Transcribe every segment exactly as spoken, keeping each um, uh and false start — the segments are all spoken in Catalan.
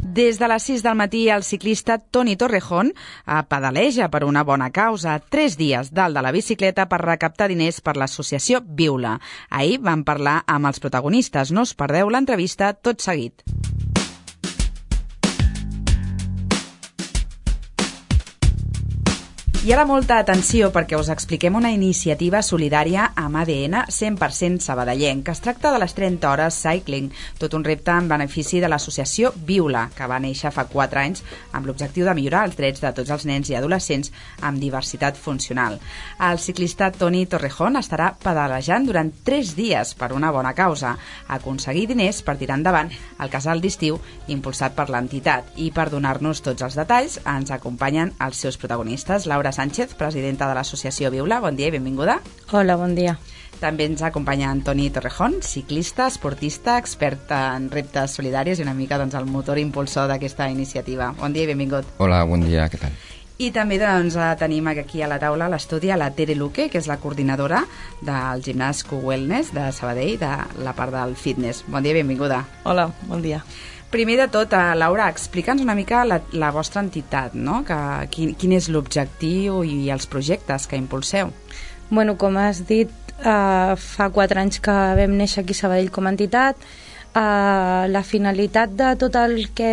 Des de les sis del matí, el ciclista Toni Torrejón pedaleja per una bona causa. Tres dies dalt de la bicicleta per recaptar diners per l'associació Viula. Ahir vam parlar amb els protagonistes. No us perdeu l'entrevista tot seguit. I ara molta atenció perquè us expliquem una iniciativa solidària amb A D N cent per cent sabadellenc, que es tracta de les trenta hores cycling, tot un repte en benefici de l'associació Viula, que va néixer fa quatre anys amb l'objectiu de millorar els drets de tots els nens i adolescents amb diversitat funcional. El ciclista Toni Torrejón estarà pedalejant durant tres dies per una bona causa, aconseguir diners per tirar endavant el casal d'estiu impulsat per l'entitat. I per donar-nos tots els detalls ens acompanyen els seus protagonistes. Laura Sánchez, presidenta de l'associació Viula, bon dia i benvinguda. Hola, bon dia. També ens acompanya Toni Torrejón, ciclista, esportista, expert en reptes solidaris i una mica doncs, el motor impulsor d'aquesta iniciativa. Bon dia i benvingut. Hola, bon dia, què tal? I també doncs, tenim aquí a la taula a l'estudi a la Tere Luque, que és la coordinadora del gimnàs Q-Wellness de Sabadell, de la part del fitness. Bon dia i benvinguda. Hola, bon dia. Primer de tot, Laura, explica'ns una mica la, la vostra entitat, no? Que, quin, quin és l'objectiu i els projectes que impulseu? Bueno, com has dit, uh, fa quatre anys que vam néixer aquí a Sabadell com a entitat. Uh, la finalitat de tot el que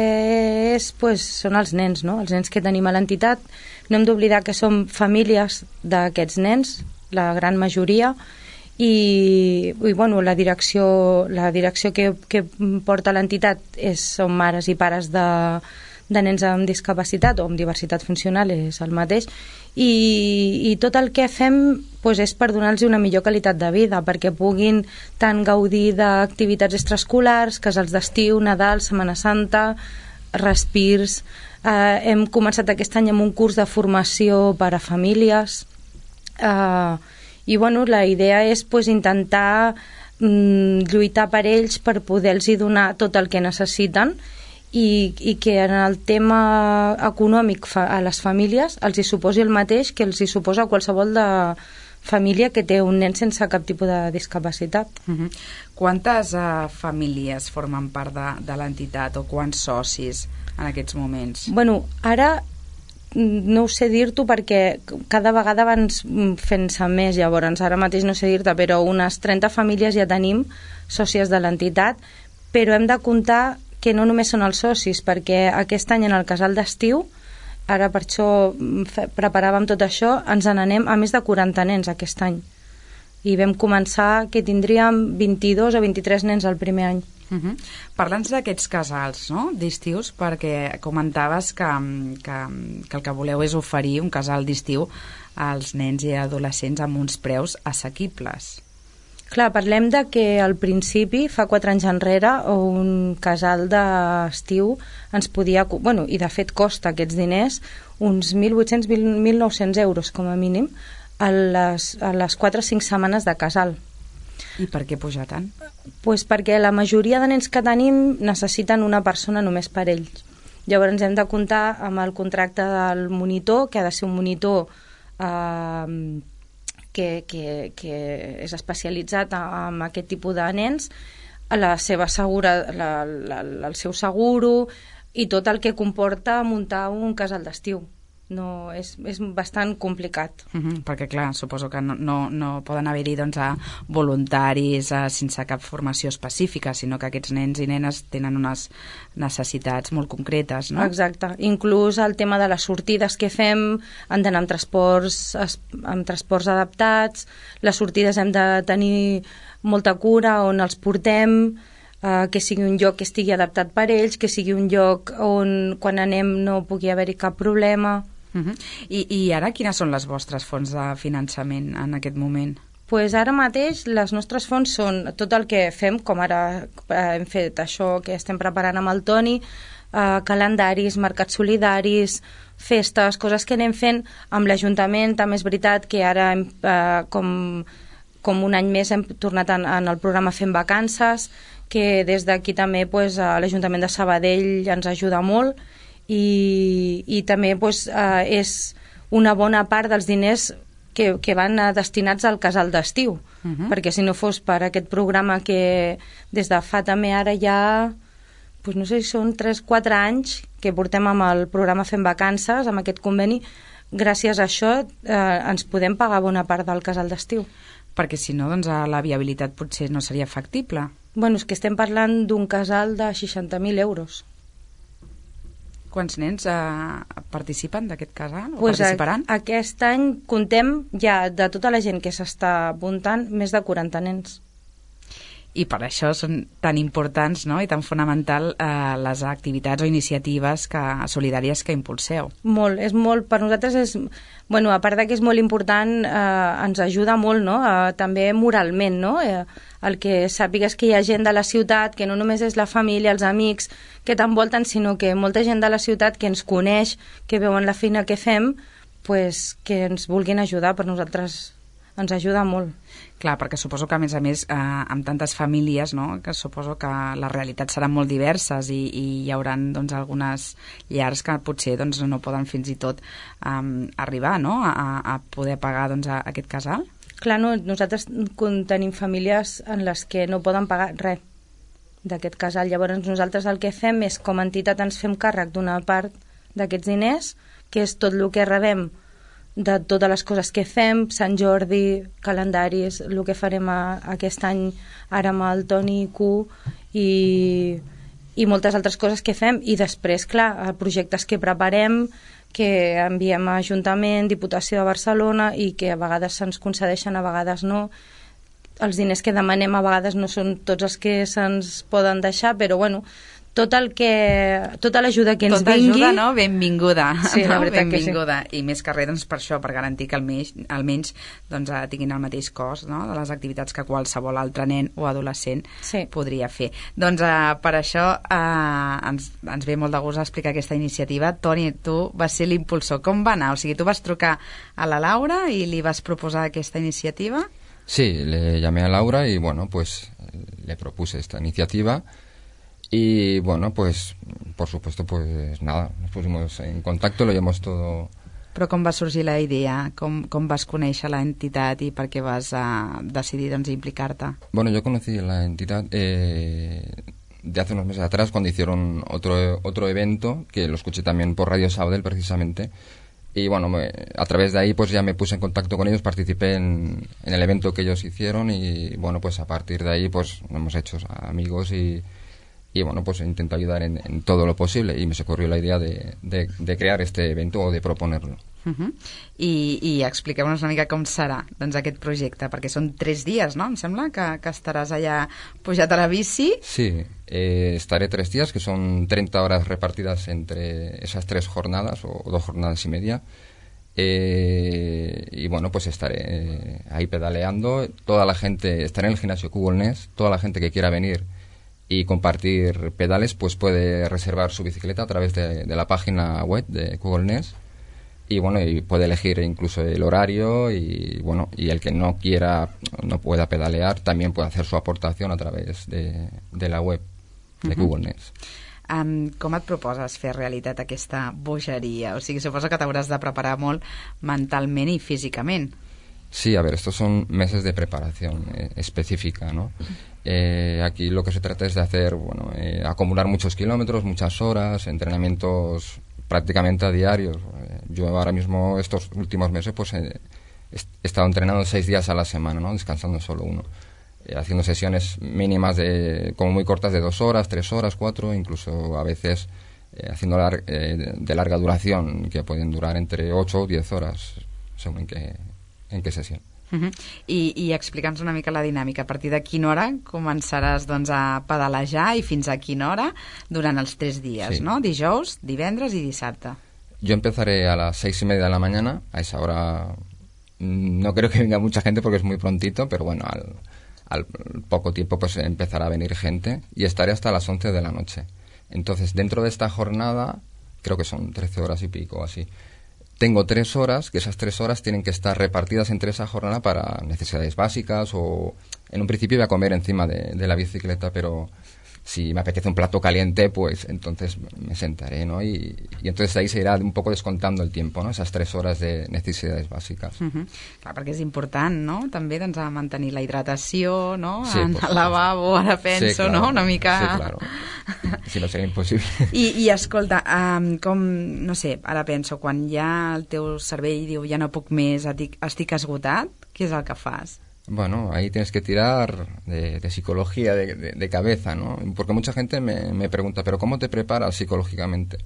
és pues, són els nens, no? Els nens que tenim a l'entitat. No hem d'oblidar que som famílies d'aquests nens, la gran majoria, i, i bueno, la direcció, la direcció que, que porta l'entitat és, són mares i pares de, de nens amb discapacitat o amb diversitat funcional, és el mateix, i, i tot el que fem pues, és per donar-los una millor qualitat de vida, perquè puguin tant gaudir d'activitats extraescolars, casals d'estiu, Nadal, Setmana Santa, respirs. Eh, hem començat aquest any amb un curs de formació per a famílies, eh, i bueno, la idea és pues, intentar mm, lluitar per ells per poder-los donar tot el que necessiten i, i que en el tema econòmic fa, a les famílies els hi suposi el mateix que els hi suposa qualsevol de família que té un nen sense cap tipus de discapacitat. Uh-huh. Quantes uh, famílies formen part de, de l'entitat o quants socis en aquests moments? Bueno, ara no ho sé dir-t'ho perquè cada vegada van fent-se més, llavors ara mateix no sé dir-te, però unes trenta famílies ja tenim sòcies de l'entitat, però hem de comptar que no només són els socis, perquè aquest any en el casal d'estiu, ara per això preparàvem tot això, ens n'anem a més de quaranta nens aquest any, i vam començar que tindríem vint-i-dos o vint-i-tres nens el primer any. Uh-huh. Parla'ns d'aquests casals, no? D'estius, perquè comentaves que, que, que el que voleu és oferir un casal d'estiu als nens i adolescents amb uns preus assequibles. Clar, parlem de que al principi, fa quatre anys enrere, un casal d'estiu ens podia... Bueno, i de fet costa aquests diners uns mil vuit-cents a mil nou-cents euros com a mínim a les, a les quatre o cinc setmanes de casal. I per què pujar tant? Pues perquè la majoria de nens que tenim necessiten una persona només per ells. Llavors hem de comptar amb el contracte del monitor, que ha de ser un monitor eh, que, que, que és especialitzat en aquest tipus de nens, la seva segura, la, la, el seu seguro i tot el que comporta muntar un casal d'estiu. No, és, és bastant complicat. Uh-huh, perquè clar, suposo que no, no, no poden haver-hi doncs, a voluntaris a, sense cap formació específica, sinó que aquests nens i nenes tenen unes necessitats molt concretes, no? Exacte, inclús el tema de les sortides que fem han d'anar amb transports, amb transports adaptats, les sortides hem de tenir molta cura on els portem, Uh, que sigui un lloc que estigui adaptat per ells, que sigui un lloc on quan anem no pugui haver-hi cap problema. Uh-huh. I, I ara quines són les vostres fonts de finançament en aquest moment? Pues ara mateix les nostres fonts són tot el que fem, com ara eh, hem fet això que estem preparant amb el Toni, eh, calendaris, mercats solidaris, festes, coses que anem fent amb l'Ajuntament. També és veritat que ara hem, eh, com, com un any més hem tornat en, en el programa Fem Vacances, que des d'aquí també pues, l'Ajuntament de Sabadell ens ajuda molt i, i també pues, eh, és una bona part dels diners que, que van destinats al casal d'estiu, uh-huh. perquè si no fos per aquest programa que des de fa també ara ja pues no sé si són tres o quatre anys que portem amb el programa Fem Vacances, amb aquest conveni. Gràcies a això eh, ens podem pagar bona part del casal d'estiu. Perquè si no, doncs la viabilitat potser no seria factible. Bueno, és que estem parlant d'un casal de seixanta mil euros. Quants nens eh, participen d'aquest casal? O pues participaran? A, aquest any contem ja de tota la gent que s'està apuntant més de quaranta nens. I per això són tan importants, no?, i tan fonamental eh, les activitats o iniciatives que, solidàries que impulseu. Molt, és molt, per nosaltres és, bueno, a part de que és molt important, eh, ens ajuda molt, no?, eh, també moralment, no?, eh, el que sàpigues que hi ha gent de la ciutat, que no només és la família, els amics que t'envolten, sinó que molta gent de la ciutat que ens coneix, que veuen la feina que fem, pues, que ens vulguin ajudar, per nosaltres ens ajuda molt. Clar, perquè suposo que, a més a més, eh, amb tantes famílies, no?, que suposo que les realitats seran molt diverses i, i hi haurà doncs, algunes llars que potser doncs, no poden fins i tot um, arribar, no?, a, a poder pagar doncs, a, a aquest casal. Clar, no, nosaltres tenim famílies en les que no poden pagar res d'aquest casal. Llavors nosaltres el que fem és, com a entitat, ens fem càrrec d'una part d'aquests diners, que és tot el que rebem de totes les coses que fem, Sant Jordi, calendaris, el que farem a, aquest any ara amb el Toni Q i, i moltes altres coses que fem, i després, clar, projectes que preparem, que enviem a Ajuntament, Diputació de Barcelona, i que a vegades se'ns concedeixen, a vegades no. Els diners que demanem a vegades no són tots els que se'ns poden deixar, però bueno, tot el que, tota l'ajuda que ens tota vingui... Tota ajuda, no? Benvinguda. Sí, no? la veritat Benvinguda. que sí. I més que res, doncs, per això, per garantir que almenys, almenys doncs, tinguin el mateix cost, no?, de les activitats que qualsevol altre nen o adolescent sí. podria fer. Doncs eh, per això eh, ens, ens ve molt de gust explicar aquesta iniciativa. Toni, tu vas ser l'impulsor. Com va anar? O sigui, tu vas trucar a la Laura i li vas proposar aquesta iniciativa? Sí, le llamé a Laura y, bueno, pues le propuse esta iniciativa. Y bueno, pues por supuesto, pues nada, nos pusimos en contacto, lo llevamos todo. Però com va sorgir la idea? Com, com vas conèixer la entitat i per què vas uh, decidir doncs, implicar-te? Bueno, yo conocí la entidad eh, de hace unos meses atrás, cuando hicieron otro, otro evento, que lo escuché también por Radio Sabadell precisamente. Y bueno, me, a través de ahí pues ya me puse en contacto con ellos, participé en, en el evento que ellos hicieron y bueno, pues a partir de ahí pues nos hemos hecho amigos y... y bueno, pues intento ayudar en, en todo lo posible y me se ocurrió la idea de, de, de crear este evento o de proponerlo. Uh-huh. I, i expliqueu-nos una mica com serà doncs, aquest projecte, perquè són tres dies, no? Em sembla que, que estaràs allà pujat a la bici. Sí, eh, estaré tres días, que son treinta horas repartidas entre esas tres jornadas o, o dos jornadas y media. Eh, y bueno, pues estaré eh, ahí pedaleando. Toda la gente, estaré en el gimnasio Google Nest, toda la gente que quiera venir y compartir pedales, pues puede reservar su bicicleta a través de, de la página web de Google Nest y bueno, y puede elegir incluso el horario y bueno, y el que no quiera, no pueda pedalear, también puede hacer su aportación a través de, de la web de uh-huh. Google Nest. Um, com et proposes fer realitat aquesta bogeria? O sigui, suposo que t'hauràs de preparar molt mentalment i físicament. Sí, a ver, estos son meses de preparación eh, específica, ¿no? Eh, aquí lo que se trata es de hacer, bueno, eh, acumular muchos kilómetros, muchas horas, entrenamientos prácticamente a diarios. Eh, yo ahora mismo, estos últimos meses, pues eh, he estado entrenando seis días a la semana, ¿no? Descansando solo uno. Eh, haciendo sesiones mínimas de, como muy cortas, de dos horas, tres horas, cuatro, incluso a veces eh, haciendo lar eh, de larga duración, que pueden durar entre ocho o diez horas, según en qué, en qué sesión. Uh-huh. I, i explica'ns una mica la dinàmica. A partir de quina hora començaràs doncs, a pedalejar i fins a quina hora durant els tres dies, sí. ¿no? Dijous, divendres i dissabte. Yo empezaré a las seis y media de la mañana. A esa hora no creo que venga mucha gente porque es muy prontito, pero bueno, al, al poco tiempo pues empezará a venir gente y estaré hasta las once de la noche. Entonces, dentro de esta jornada, creo que son trece horas y pico así, tengo tres horas, que esas tres horas tienen que estar repartidas entre esa jornada para necesidades básicas o... En un principio iba a comer encima de, de la bicicleta, pero si me apetece un plato caliente, pues entonces me sentaré, ¿no? Y, y entonces ahí se irá un poco descontando el tiempo, ¿no? Esas tres horas de necesidades bàsiques. Uh-huh. Clar, perquè és important, no? També doncs, a mantenir la hidratació, no? Sí, en el lavabo, ara penso, sí, claro. no? Una mica... Sí, claro. Si no seria impossible. I, i escolta, um, com, no sé, ara penso, quan ja el teu cervell diu ja no puc més, estic, estic esgotat, què és el que fas? Bueno, ahí tienes que tirar de, de psicología, de, de, de cabeza, ¿no? Porque mucha gente me, me pregunta, ¿pero cómo te preparas psicológicamente?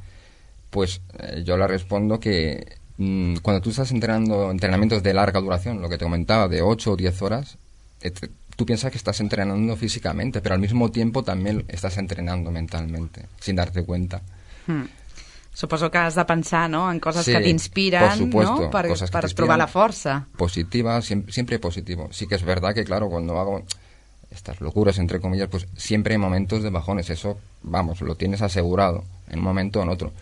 Pues eh, yo le respondo que mmm, cuando tú estás entrenando entrenamientos de larga duración, lo que te comentaba, de ocho o diez horas, eh, te, tú piensas que estás entrenando físicamente, pero al mismo tiempo también estás entrenando mentalmente, sin darte cuenta. Hmm. Suposo que has de pensar, ¿no?, en cosas sí, que t'inspiren, ¿no?, per, cosas per trobar la fuerza. Positiva, siempre, siempre positivo. Sí que es verdad que, claro, cuando hago estas locuras, entre comillas, pues siempre hay momentos de bajones. Eso, vamos, lo tienes asegurado, en un momento o en otro.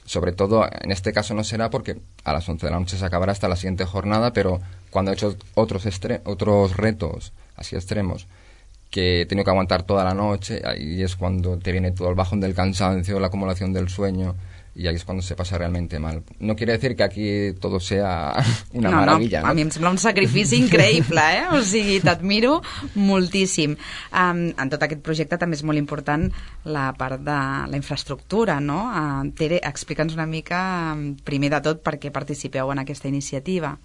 Sobre todo, en este caso no será porque a las once de la noche se acabará hasta la siguiente jornada, pero cuando he hecho otros, estre- otros retos así extremos, que he tenido que aguantar toda la noche, ahí es cuando te viene todo el bajón del cansancio, la acumulación del sueño, y ahí es cuando se pasa realmente mal. No quiere decir que aquí todo sea una no, maravilla, no, no? A mi em sembla un sacrifici increïble, eh? O sigui, t'admiro moltíssim. Um, en tot aquest projecte també és molt important la part de la infraestructura, no? Uh, Tere, explica'ns una mica, um, primer de tot, per què participeu en aquesta iniciativa.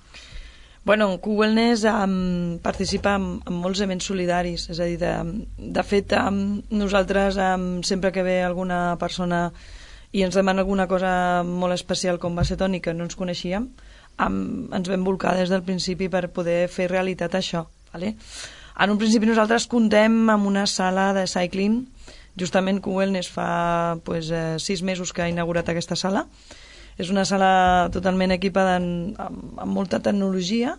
Bueno, Q-Wellness um, participa en, en molts events solidaris, és a dir, de, de fet, um, nosaltres um, sempre que ve alguna persona i ens demana alguna cosa molt especial, com va ser Toni, que no ens coneixíem, um, ens vam volcar des del principi per poder fer realitat això. Vale? En un principi nosaltres contem amb una sala de cycling, justament Q-Wellness fa pues, eh, sis mesos que ha inaugurat aquesta sala. És una sala totalment equipada en, amb, amb molta tecnologia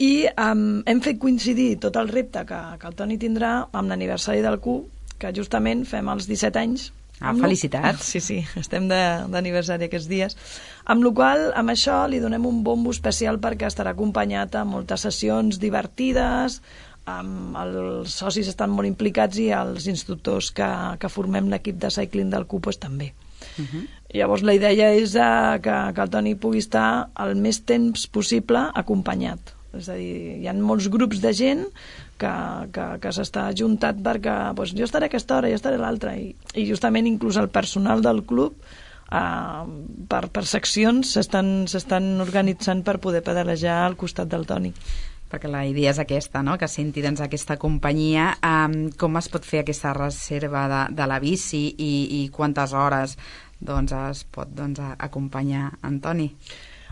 i um, hem fet coincidir tot el repte que, que el Toni tindrà amb l'aniversari del Q, que justament fem els disset anys. Ah, felicitats. Sí, sí, estem d'aniversari aquests dies. Amb la qual amb això li donem un bombo especial perquè estarà acompanyat amb moltes sessions divertides, amb els socis estan molt implicats i els instructors que, que formem l'equip de cycling del Q pues, també. Uh-huh. Llavors la idea és uh, que, que el Toni pugui estar el més temps possible acompanyat. És a dir, hi ha molts grups de gent que, que, que s'està ajuntat perquè doncs, jo estaré a aquesta hora, jo estaré a l'altra i, i justament inclús el personal del club eh, per, per seccions s'estan organitzant per poder pedalejar al costat del Toni. Perquè la idea és aquesta, no?, que senti doncs, aquesta companyia. Um, com es pot fer aquesta reserva de, de la bici i, i quantes hores doncs, es pot doncs, acompanyar en Toni?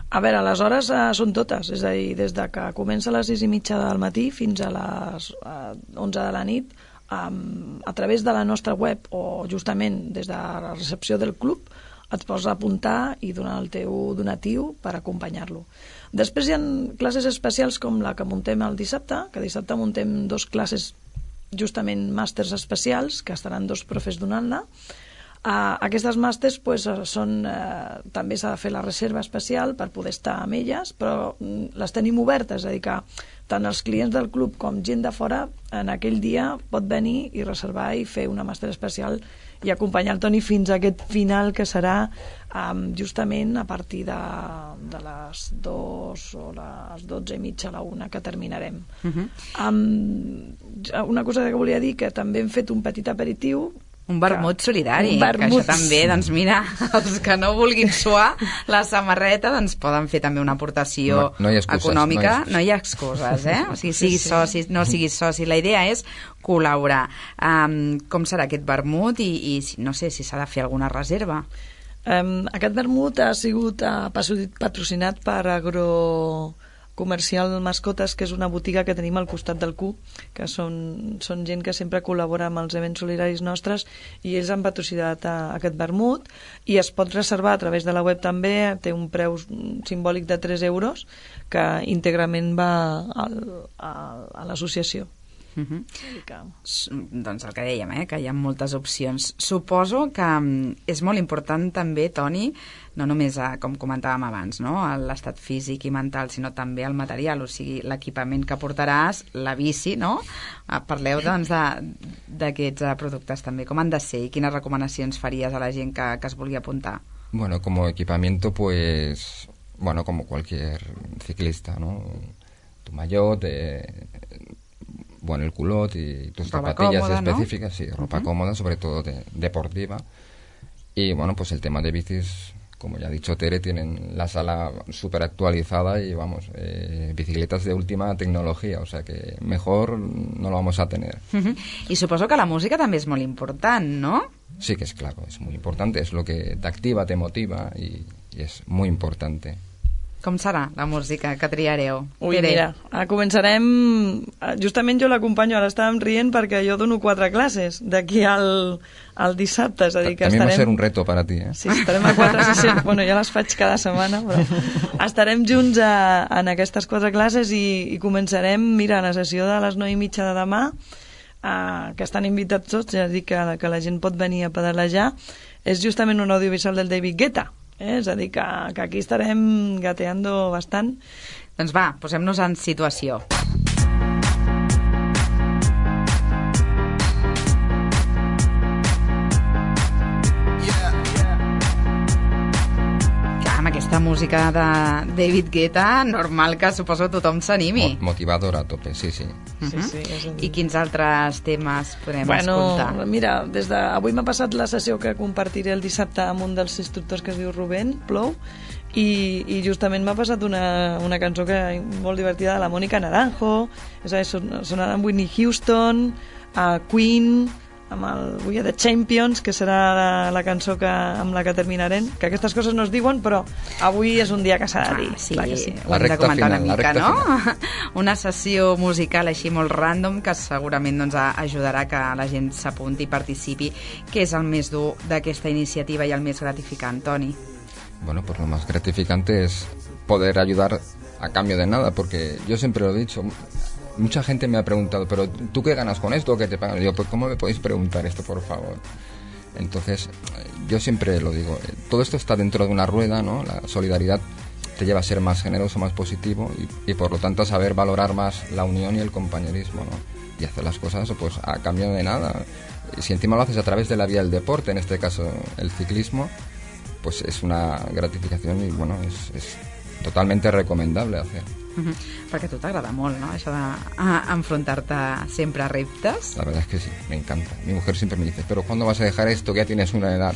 A veure, les hores eh, són totes, és a dir, des de que comença a les sis i mitja del matí fins a les eh, onze de la nit, um, a través de la nostra web o justament des de la recepció del club et pots apuntar i donar el teu donatiu per acompanyar-lo. Després hi ha classes especials com la que muntem el dissabte, que dissabte muntem dos classes justament màsters especials, que estaran dos profes donant-la. Uh, aquestes màsters pues, són, uh, també s'ha de fer la reserva especial per poder estar amb elles, però mm, les tenim obertes, és a dir que tant els clients del club com gent de fora en aquell dia pot venir i reservar i fer una màster especial i acompanyar el Toni fins a aquest final que serà um, justament a partir de, de les dos o les dotze i mitja a la una que terminarem. Uh-huh. um, una cosa que volia dir, que també hem fet un petit aperitiu. Un vermut solidari, un vermut. Que això també, doncs mira, els que no vulguin suar la samarreta, doncs poden fer també una aportació no, no excuses, econòmica. No no hi ha excuses, eh? O sigui, siguis sí, sí. soci, no siguis soci. La idea és col·laborar. Um, com serà aquest vermut i, i no sé si s'ha de fer alguna reserva? Um, aquest vermut ha sigut uh, patrocinat per Agro Comercial Mascotes, que és una botiga que tenim al costat del Q, que són, són gent que sempre col·labora amb els events solidaris nostres i ells han patrocinat a, a aquest vermut i es pot reservar a través de la web també, té un preu simbòlic de tres euros que íntegrament va al, a, a l'associació. Uh -huh. que... Doncs el que dèiem, eh, que hi ha moltes opcions. Suposo que um, és molt important també, Toni, no només, a, com comentàvem abans, no? L'estat físic i mental, sinó també el material, o sigui, l'equipament que portaràs, la bici, no? Uh, parleu, doncs, d'aquests uh, productes també. Com han de ser i quines recomanacions faries a la gent que, que es vulgui apuntar? Bueno, como equipamiento, pues, bueno, como cualquier ciclista, ¿no? Tu maillot, eh, bueno, el culot y tus ropa zapatillas cómoda, específicas, ¿no? Sí, ropa uh-huh. cómoda, sobre todo de, deportiva. Y bueno, pues el tema de bicis, como ya ha dicho Tere, tienen la sala súper actualizada y vamos, eh, bicicletas de última tecnología, o sea que mejor no lo vamos a tener. Uh-huh. Y suposo que la música també és molt important, ¿no? Sí que es claro, es muy importante, es lo que te activa, te motiva y, y es muy importante. Com serà la música que triareu? Ui, Pere. Mira, començarem... Justament jo l'acompanyo, ara estàvem rient perquè jo dono quatre classes d'aquí al, al dissabte, és a dir que També estarem... va ser un reto per a ti, eh? Sí, estarem a quatre sessions, bueno, ja les faig cada setmana, però estarem junts a, en aquestes quatre classes i, i començarem, mira, la sessió de les nou i mitja de demà, uh, que estan invitats tots, ja dic que, que la gent pot venir a pedalejar, és justament un audiovisual del David Guetta. Eh? És a dir, que, que aquí estarem gateando bastant. Doncs va, posem-nos en situació. Aquesta música de David Guetta, normal que suposo tothom s'animi. Motivadora a tope, sí, sí. Uh-huh. sí, sí és un... I quins altres temes podem bueno, escoltar? Mira, des de... avui m'ha passat la sessió que compartiré el dissabte amb un dels instructors que es diu Rubén Plou, i, i justament m'ha passat una, una cançó que molt divertida de la Mónica Naranjo, és a dir, son, sonarà amb Whitney Houston, a Queen, amb el We Are The Champions, que serà la, la cançó que, amb la que terminarem, que aquestes coses no es diuen, però avui és un dia que s'ha de dir. Ah, sí, clar que sí. Ho hem de comentar final, una mica, no? Final. Una sessió musical així molt random que segurament doncs, ajudarà que la gent s'apunti i participi, que és el més dur d'aquesta iniciativa i el més gratificant, Toni. Bueno, pues lo más gratificante es poder ayudar a cambio de nada, porque yo siempre lo he dicho... Mucha gente me ha preguntado, pero ¿tú qué ganas con esto o qué te pagan? Y yo, pues ¿cómo me podéis preguntar esto, por favor? Entonces, yo siempre lo digo, todo esto está dentro de una rueda, ¿no? La solidaridad te lleva a ser más generoso, más positivo y, y por lo tanto a saber valorar más la unión y el compañerismo, ¿no? Y hacer las cosas pues a cambio de nada. Y si encima lo haces a través de la vía del deporte, en este caso el ciclismo, pues es una gratificación y bueno, es, es totalmente recomendable hacer. Uh-huh. Perquè a tu t'agrada molt, ¿no? Això d'enfrontar-te sempre a reptes. La verdad es que sí, me encanta. Mi mujer siempre me dice, pero ¿cuándo vas a dejar esto que ya tienes una edad?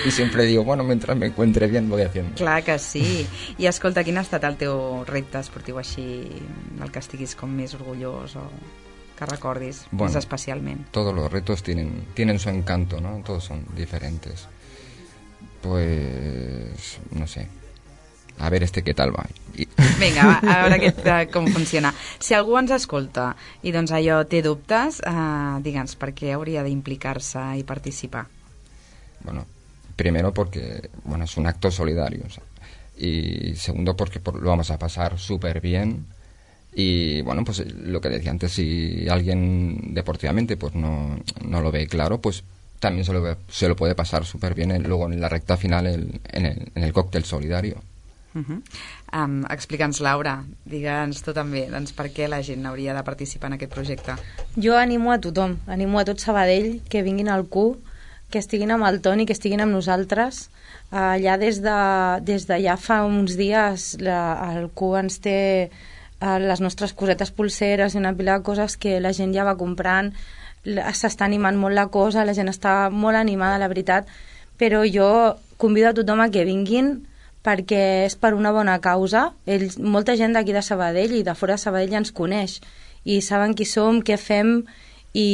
Y siempre digo, bueno, mientras me encuentre bien voy haciendo. Clar que sí. I escolta, quin ha estat el teu repte esportiu així, el que estiguis com més orgullós o que recordis bueno, més especialment? Todos los retos tienen, tienen su encanto, ¿no? Todos son diferentes. Pues, no sé, a ver este què tal va. I... Vinga, va, a veure aquest, com funciona. Si algú ens escolta i doncs allò té dubtes, eh, digue'ns, per què hauria d'implicar-se i participar? Bueno, primero porque, bueno, es un acto solidario, o sea, y segundo porque por, lo vamos a pasar súper bien y, bueno, pues lo que decía antes, si alguien deportivamente pues no, no lo ve claro, pues también se lo, ve, se lo puede pasar súper bien en, luego en la recta final el, en, el, en el cóctel solidario. Uh-huh. um, Explica'ns, Laura, digue'ns tu també, doncs per què la gent hauria de participar en aquest projecte. Jo animo a tothom, animo a tot Sabadell que vinguin al Q, que estiguin amb el Toni, que estiguin amb nosaltres. Uh, ja des de, des de ja fa uns dies la, el Q ens té uh, les nostres cosetes pulseres i una pila de coses que la gent ja va comprant, s'està animant molt la cosa, la gent està molt animada, la veritat, però jo convido a tothom a que vinguin perquè és per una bona causa. Ells, molta gent d'aquí de Sabadell i de fora de Sabadell ens coneix i saben qui som, què fem i,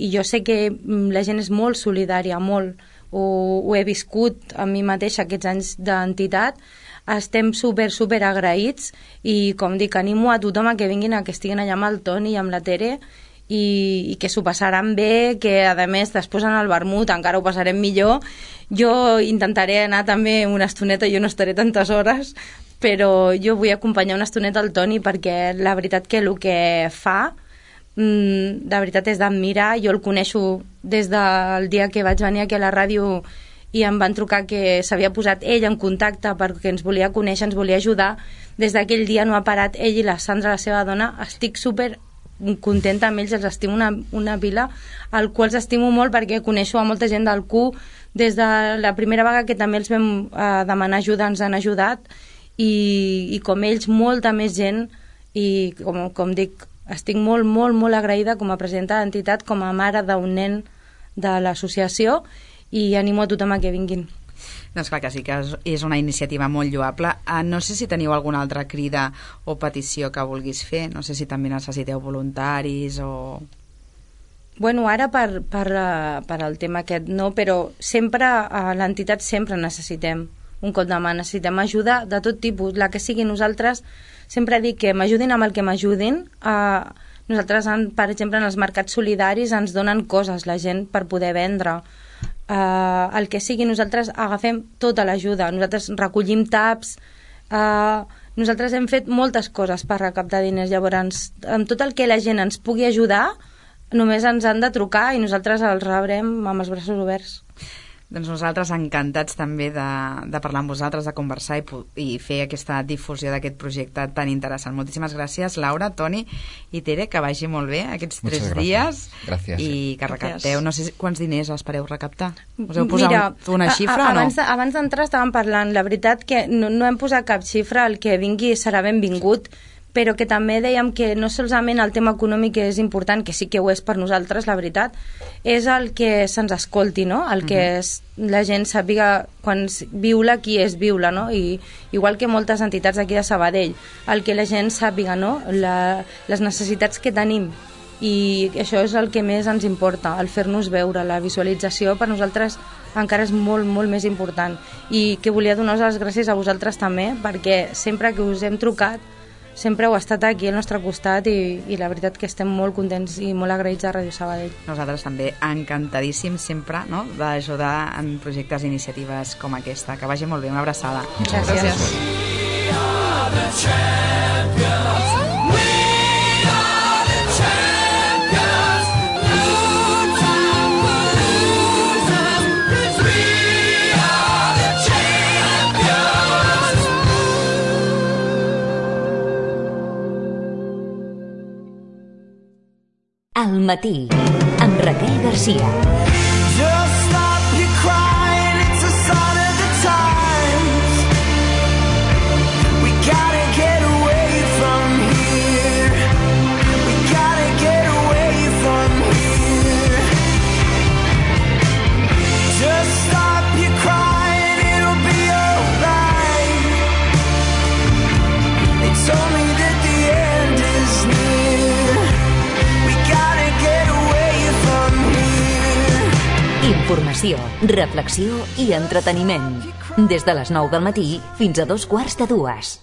i jo sé que la gent és molt solidària, molt. Ho, ho he viscut a mi mateixa aquests anys d'entitat, estem super, super agraïts i com dic, animo a tothom a que vinguin, a que estiguin allà amb el Toni i amb la Tere i, i que s'ho passaran bé, que a més després en el vermut encara ho passarem millor. Jo intentaré anar també una estoneta, jo no estaré tantes hores, però jo vull acompanyar una estoneta al Toni perquè la veritat que el que fa mm, de veritat és d'admirar. Jo el coneixo des del dia que vaig venir aquí a la ràdio i em van trucar que s'havia posat ell en contacte perquè ens volia conèixer, ens volia ajudar. Des d'aquell dia no ha parat. Ell i la Sandra, la seva dona, estic super contenta amb ells, els estimo una, una pila, al qual els estimo molt perquè coneixo a molta gent del Q des de la primera vegada que també els vam eh, demanar ajuda, ens han ajudat, i, i com ells, molta més gent, i com, com dic, estic molt, molt, molt agraïda com a presidenta d'entitat, com a mare d'un nen de l'associació, i animo a tothom a que vinguin. Doncs clar que sí, que és una iniciativa molt lloable. Uh, no sé si teniu alguna altra crida o petició que vulguis fer, no sé si també necessiteu voluntaris o... Bueno, ara per, per, per el tema aquest no, però sempre a l'entitat sempre necessitem un cop de mà, necessitem ajuda de tot tipus, la que sigui. Nosaltres sempre dic que m'ajudin amb el que m'ajudin. Uh, nosaltres, per exemple, en els mercats solidaris ens donen coses la gent per poder vendre. Uh, el que sigui, nosaltres agafem tota l'ajuda, nosaltres recollim taps, uh, nosaltres hem fet moltes coses per recaptar diners. Llavors, amb tot el que la gent ens pugui ajudar, només ens han de trucar i nosaltres els rebrem amb els braços oberts. Doncs nosaltres encantats també de, de parlar amb vosaltres, de conversar i, i fer aquesta difusió d'aquest projecte tan interessant. Moltíssimes gràcies, Laura, Toni i Tere, que vagi molt bé aquests tres dies. Gràcies. I que recapteu. No sé quants diners espereu recaptar. Us heu posat Mira, una xifra a, a, o no? Abans, abans d'entrar estàvem parlant. La veritat que no, no hem posat cap xifra, el que vingui serà benvingut, però que també dèiem que no solament el tema econòmic és important, que sí que ho és per nosaltres, la veritat, és el que se'ns escolti, no? El que Uh-huh. és, la gent sàpiga quan viu-la qui és viu-la, no? I igual que moltes entitats aquí de Sabadell, el que la gent sàpiga, no? La, les necessitats que tenim, i això és el que més ens importa, el fer-nos veure, la visualització per nosaltres encara és molt, molt més important. I que volia donar les gràcies a vosaltres també, perquè sempre que us hem trucat sempre heu estat aquí al nostre costat i, i la veritat que estem molt contents i molt agraïts a Ràdio Sabadell. Nosaltres també encantadíssims sempre, no?, d'ajudar en projectes i iniciatives com aquesta. Que vagi molt bé, una abraçada. Gràcies. Gràcies. Al matí, amb Raquel Garcia. Just stop your crying, it's a sign of the times. We gotta get away from here. We gotta get away from here. Just stop your crying, it'll be alright. They told me that the end is near. Informació, reflexió i entreteniment. Des de les nou del matí fins a dos quarts de dues.